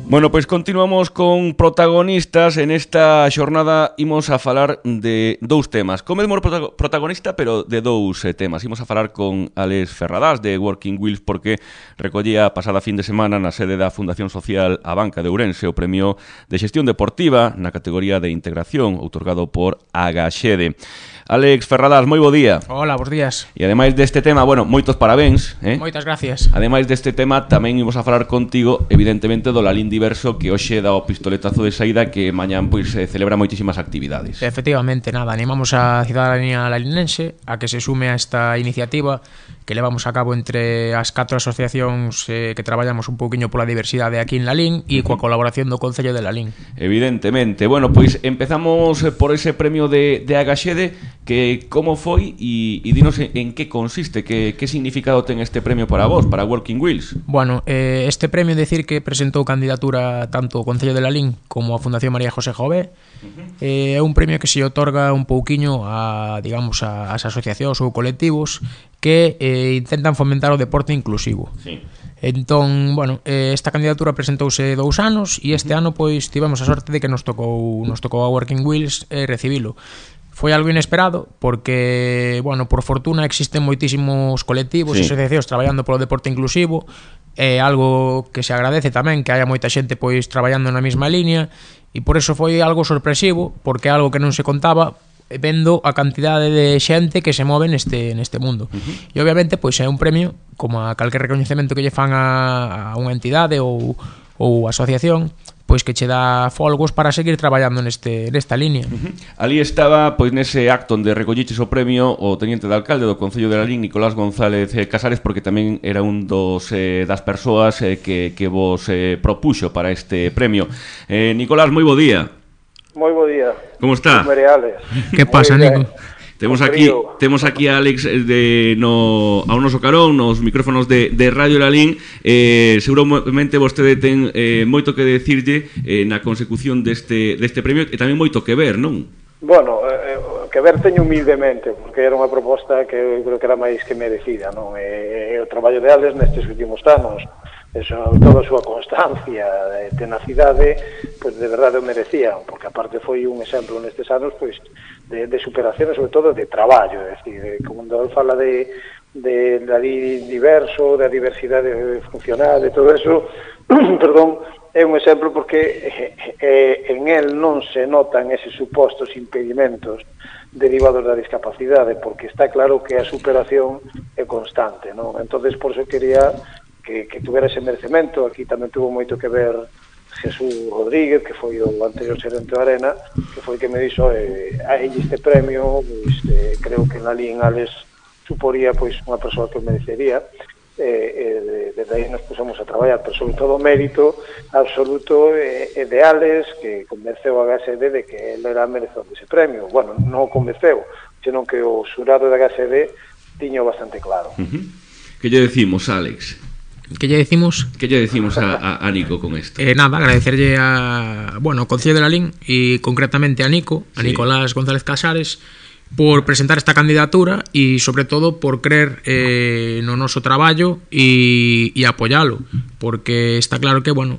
Bueno, pois continuamos con protagonistas. En esta xornada imos a falar de dous temas. Co mesmo protagonista, pero de dous temas. Imos a falar con Álex Ferradás de Working Wheels porque recollía a pasada fin de semana na sede da Fundación Social A Banca de Ourense o premio de xestión deportiva na categoría de integración outorgado por Agaxede. Álex Ferradás, moi bo día. Hola, bos días. E ademais deste tema, bueno, moitos parabéns, Moitas gracias. Ademais deste tema, tamén imos a falar contigo, evidentemente, do Lalín Diverso, que hoxe dá o pistoletazo de saída, que mañán pois celebra moitísimas actividades. Efectivamente, nada, animamos a cidadanía lalinense a que se sume a esta iniciativa que levamos a cabo entre as 4 asociacións que traballamos un pouquiño pola diversidade aquí en Lalín e coa colaboración do Concello de Lalín. Evidentemente. Bueno, pois empezamos por ese premio de Agaxede, que como foi e dinos en que consiste, que significado ten este premio para vos, para Working Wheels. Bueno, este premio decir que presentou candidatura tanto o Concello de Lalín como a Fundación María José Jové. É un premio que se otorga un pouquiño a, digamos, as asociacións ou colectivos que intentan fomentar o deporte inclusivo. Sí. Entón, bueno, esta candidatura presentouse 2 anos e este ano pois tivemos a sorte de que nos tocou a Working Wheels recibilo. Foi algo inesperado porque, bueno, por fortuna existen moitísimos colectivos e asociacións traballando polo deporte inclusivo. É algo que se agradece tamén, que haya moita xente pois traballando na mesma línea, e por eso foi algo sorpresivo, porque é algo que non se contaba vendo a cantidade de xente que se move neste mundo. E obviamente pois é un premio como a calquer recoñecemento que lle fan a unha entidade ou asociación, pois que che dá folgos para seguir traballando nesta línea. Ali estaba, pois nese acto onde recolliches o premio, o teniente de alcalde do Concello de Lalín, Nicolás González Casares, porque tamén era un das persoas que vos propuxo para este premio. Nicolás, moi bo día. Moi bo día. Como está? Que pasa, Nico? Temos aquí a Álex ao noso carón, nos micrófonos de Radio Lalín. Seguramente vostede ten moito que decirlle na consecución deste premio e tamén moito que ver, non? Bueno, que ver teño humildemente, porque era unha proposta que eu creo que era máis que merecida, non? O traballo de Álex nestes últimos anos, toda a súa constancia, tenacidade, pois de verdade o merecía, porque aparte foi un exemplo nestes anos, pois de superación e sobre todo de traballo, é dicir, como el fala de Lalín Diverso, da diversidade funcional, de todo eso, perdón, é un exemplo porque en el non se notan eses supostos impedimentos derivados da discapacidade, porque está claro que a superación é constante, non? Entonces, por eso quería que tuvera ese merecemento. Aquí tamén tuvo moito que ver Jesús Rodríguez, que foi o anterior xerente da Arena, que foi que me dixo este premio, pois, creo que na Lalín Álex suporía pois unha persoa que merecería, desde aí nos pusemos a traballar, pero sobre todo o mérito absoluto de Álex, que convenceu a Agaxede de que ele era merecedor dese premio. Bueno, non o convenceu, senón que o xurado da Agaxede tiño bastante claro. Que lle decimos, Álex? Que lle decimos? Que lle decimos a Nico con isto? Nada, agradecerlle ao Concello de Lalín e concretamente a Nico, a Nicolás González Casares, por presentar esta candidatura e sobre todo por creer no noso traballo e apoialo, porque está claro que, bueno,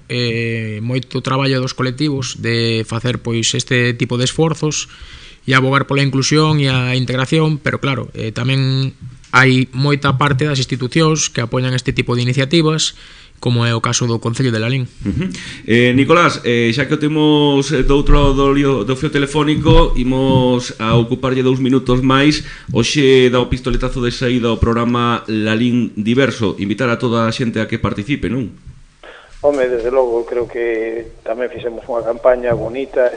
moito traballo dos colectivos de facer pois este tipo de esforzos e abogar pola inclusión e a integración, pero claro, tamén hai moita parte das institucións que apoian este tipo de iniciativas, como é o caso do Concello de Lalín. Nicolás, xa que o temos do outro do fio telefónico, imos a ocuparlle 2 minutos máis. Hoxe dá o pistoletazo de saída ao programa Lalín Diverso. Invitar a toda a xente a que participe, non? Home, desde logo, creo que tamén fixemos unha campaña bonita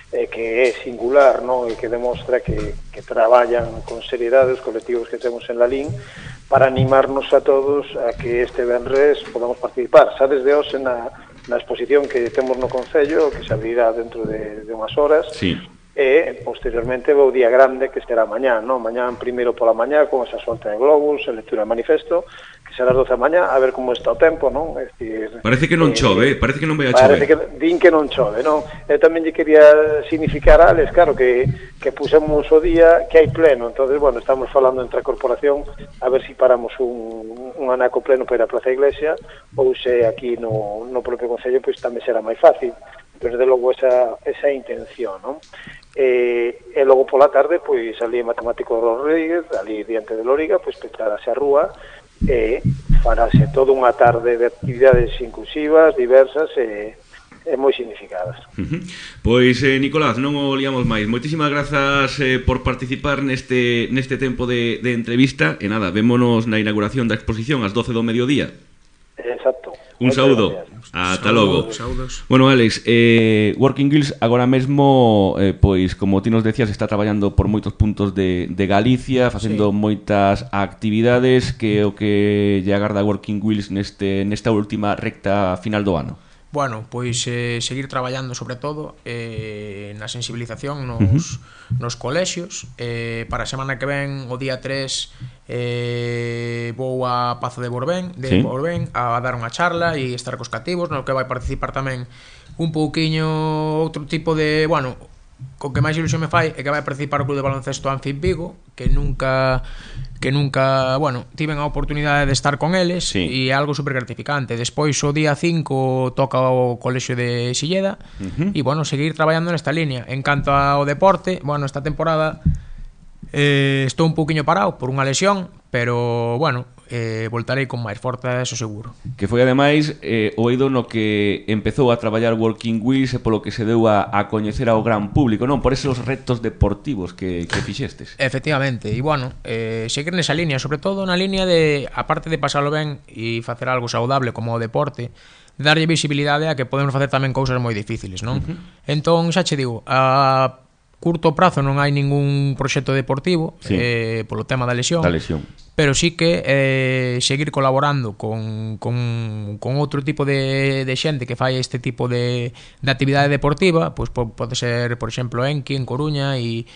que é singular, non? E que demostra que traballan con seriedade os colectivos que temos en Lalín para animarnos a todos a que este venres podamos participar. Xa desde hoxe na exposición que temos no Concello, que se abrirá dentro de unhas horas, e posteriormente o día grande que será mañá, non? Mañán primeiro pola mañá con esa solta de globos, a lectura de manifesto, que será as 12 da mañá, a ver como está o tempo, non? Es decir, parece que non chove, parece que non vai a parece chover. que din que non chove, non? Eu tamén lle quería significar a Alex, claro, que pusemos o día que hai pleno, entonces, bueno, estamos falando entre a corporación a ver si paramos un anaco pleno para ir a Plaza Iglesia, ou se aquí no propio Concello, pois tamén será máis fácil, pero de logo esa intención, non? E logo pola tarde, pois ali en Matemático Rodríguez, ali diante de Lóriga, pois petarase a rúa e farase toda unha tarde de actividades inclusivas, diversas e moi significadas. Pois, Nicolás, non o liamos máis. Moitísimas grazas por participar neste tempo de entrevista. E nada, vémonos na inauguración da exposición ás 12 do mediodía. Exacto. Un saúdo. Ata logo. Saúdos. Bueno, Alex, Working Girls agora mesmo, pois, como ti nos decías, está traballando por moitos puntos de Galicia, facendo moitas actividades. Que o que lle agarda Working Girls nesta última recta final do ano? Bueno, pois seguir traballando sobre todo na sensibilización nos colexios. Para a semana que ven, o día 3, vou a Pazo de Borbén a dar unha charla e estar cos cativos, no que vai participar tamén un pouquiño outro tipo de, bueno, co que máis ilusión me fai é que vai participar o Club de Baloncesto Anfib Vigo, que nunca, bueno, tiven a oportunidade de estar con eles, e é algo super gratificante. Despois o día 5 toca o Colexio de Silleda, e bueno, seguir traballando nesta línea. En canto ao deporte, bueno, esta temporada estou un pouquiño parado por unha lesión, pero bueno, voltarei con máis forza, eso seguro. Que foi ademais o eido no que empezou a traballar Working Girls e polo que se deu a coñecer ao gran público, non? Por esos retos deportivos que fixestes. Efectivamente, e bueno, seguir nesa línea, sobre todo na línea de, aparte de pasalo ben e facer algo saudable como o deporte, darlle visibilidade a que podemos facer tamén cousas moi difíciles, non? Entón, xa che digo, a curto prazo non hai ningún proxecto deportivo, polo tema da lesión. Pero sí que seguir colaborando con outro tipo de xente que fai este tipo de actividade deportiva, pois pode ser, por exemplo, Enki en Coruña e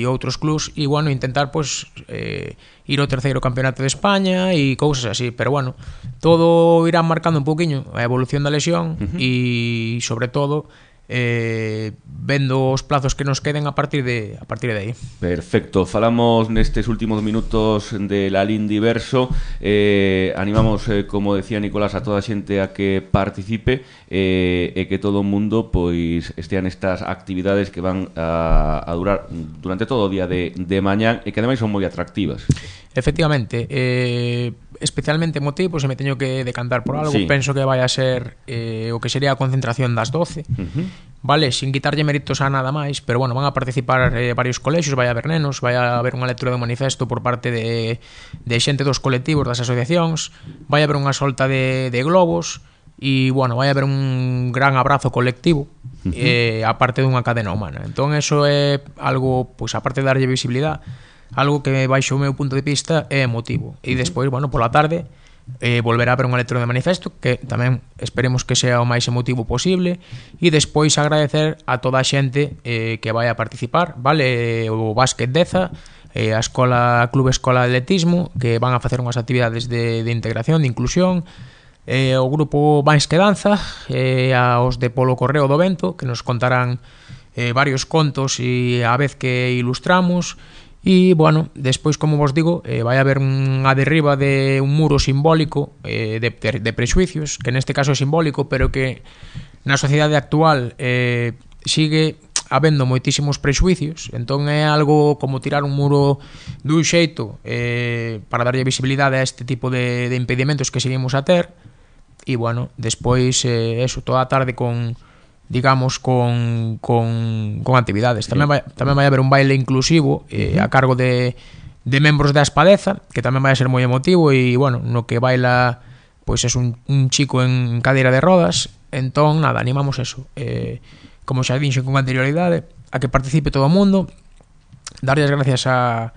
outros clubs, e bueno, intentar pois ir ao terceiro campeonato de España e cousas así, pero bueno, todo irá marcando un pouquiño a evolución da lesión e sobre todo vendo os plazos que nos queden a partir de aí. Perfecto, falamos nestes últimos minutos de Lalín Diverso. Animamos, como decía Nicolás, a toda a xente a que participe e que todo o mundo pois estean nestas actividades que van a durar durante todo o día de mañán e que ademais son moi atractivas. Efectivamente, especialmente motivo, se me teño que decantar por algo, penso que vai a ser o que sería a concentración das 12, vale, sin quitarlle méritos a nada máis, pero bueno, van a participar varios colexios, vai haber nenos, vai haber unha lectura de manifesto por parte de xente dos colectivos, das asociacións, vai haber unha solta de globos e, bueno, vai haber un gran abrazo colectivo aparte dunha cadena humana. Entón, eso é algo, pois, aparte de darlle visibilidade, algo que baixo o meu punto de vista é emotivo. E despois, bueno, pola tarde volverá a haber unha lectura de manifesto que tamén esperemos que sea o máis emotivo posible, e despois agradecer a toda a xente que vai a participar, vale, o Básquet Deza, a Escola Club Escola de Atletismo, que van a facer unhas actividades de integración, de inclusión, o grupo Máis que Danza, aos de Polo Correo do Vento, que nos contarán varios contos e a vez que ilustramos. E, bueno, despois, como vos digo, vai haber unha derriba de un muro simbólico de prexuicios, que neste caso é simbólico, pero que na sociedade actual sigue habendo moitísimos prexuicios. Entón é algo como tirar un muro dun xeito para darlle visibilidade a este tipo de impedimentos que seguimos a ter. E, bueno, despois eso, toda a tarde con actividades. Tamén vai haber un baile inclusivo a cargo de membros da Espadeza, que tamén vai a ser moi emotivo, e, bueno, no que baila pois é un chico en cadeira de rodas. Entón, nada, animamos eso, como xa dixen con anterioridade, a que participe todo o mundo, darlle as gracias a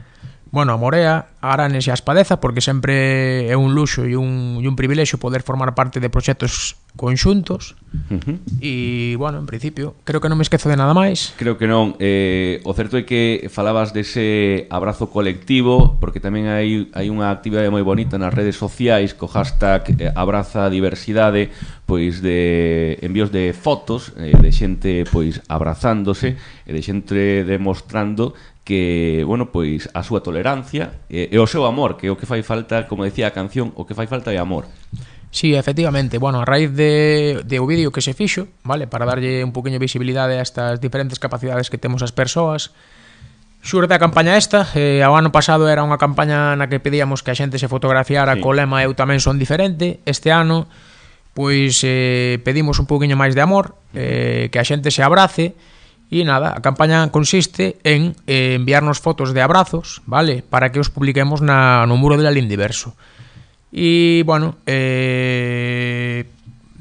Bueno, a morea, a Aranes e a Espadeza, porque sempre é un luxo e un privilexio poder formar parte de proxectos conxuntos. E, bueno, en principio, creo que non me esquezo de nada máis. Creo que non. O certo é que falabas dese abrazo colectivo, porque tamén hai unha actividade moi bonita nas redes sociais co hashtag Abraza a Diversidade, pois de envíos de fotos de xente pois abrazándose e de xente demostrando que, bueno, pois a súa tolerancia e o seu amor, que é o que fai falta, como decía a canción, o que fai falta é amor. Sí, efectivamente, bueno, a raíz de o vídeo que se fixo, vale, para darlle un poquinho de visibilidade a estas diferentes capacidades que temos as persoas, xurde a campaña esta. O ano pasado era unha campaña na que pedíamos que a xente se fotografiara co lema Eu tamén son diferente. Este ano, pois, pedimos un poquinho máis de amor, que a xente se abrace. E nada, a campaña consiste en enviarnos fotos de abrazos, vale, para que os publiquemos no muro de la Lindiverso. E, bueno,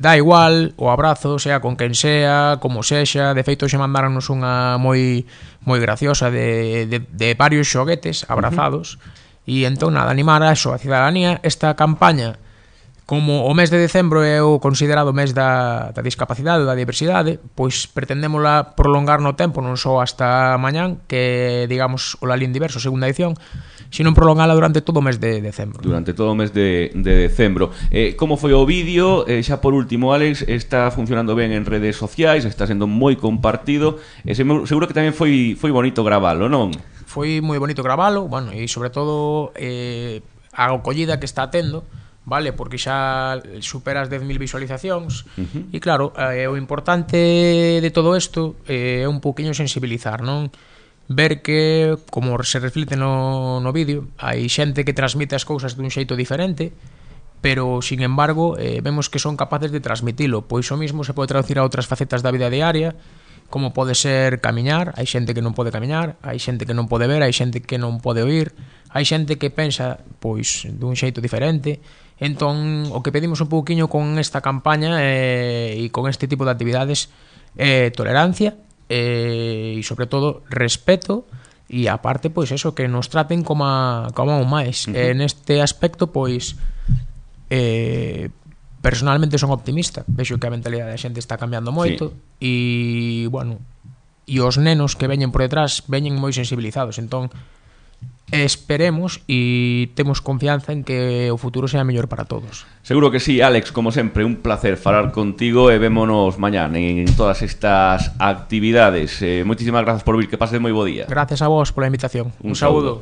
dá igual o abrazo, sea con quen sea, como sexa. De feito, xe mandáronos unha moi graciosa de varios xoguetes abrazados. E entón, nada, animar a eso, a cidadanía. Esta campaña, como o mes de decembro é o considerado mes da discapacidade ou da diversidade, pois pretendémola prolongar no tempo, non só hasta mañán, que digamos o Lalín Diverso, segunda edición, sino prolongala durante todo o mes de decembro. Durante todo o mes de decembro. Como foi o vídeo? Xa por último, Alex, está funcionando ben en redes sociais, está sendo moi compartido, e seguro que tamén foi bonito gravalo, non? Foi moi bonito gravalo, bueno, e sobre todo a acollida que está tendo, vale, porque xa supera as 10.000 visualizacións. E claro, o importante de todo isto é un poquinho sensibilizar, non? Ver que, como se reflite no vídeo, hai xente que transmite as cousas dun xeito diferente, pero, sin embargo, vemos que son capaces de transmitilo. Pois o mismo se pode traducir a outras facetas da vida diaria, como pode ser camiñar. Hai xente que non pode camiñar, hai xente que non pode ver, hai xente que non pode oír, hai xente que pensa pois dun xeito diferente. Entón, o que pedimos un pouquiño con esta campaña e con este tipo de actividades é tolerancia e, sobre todo, respeto, e aparte, pois eso, que nos traten como un máis. Neste aspecto, pois, personalmente son optimista. Vexo que a mentalidade da xente está cambiando moito. E, bueno, e os nenos que veñen por detrás veñen moi sensibilizados. Entón, esperemos e temos confianza en que o futuro sea mellor para todos. Seguro que sí, Alex, como sempre, un placer falar contigo e vémonos mañán en todas estas actividades. Moitísimas grazas por vir, que pases moi bo día. Gracias a vos pola invitación. Un saúdo.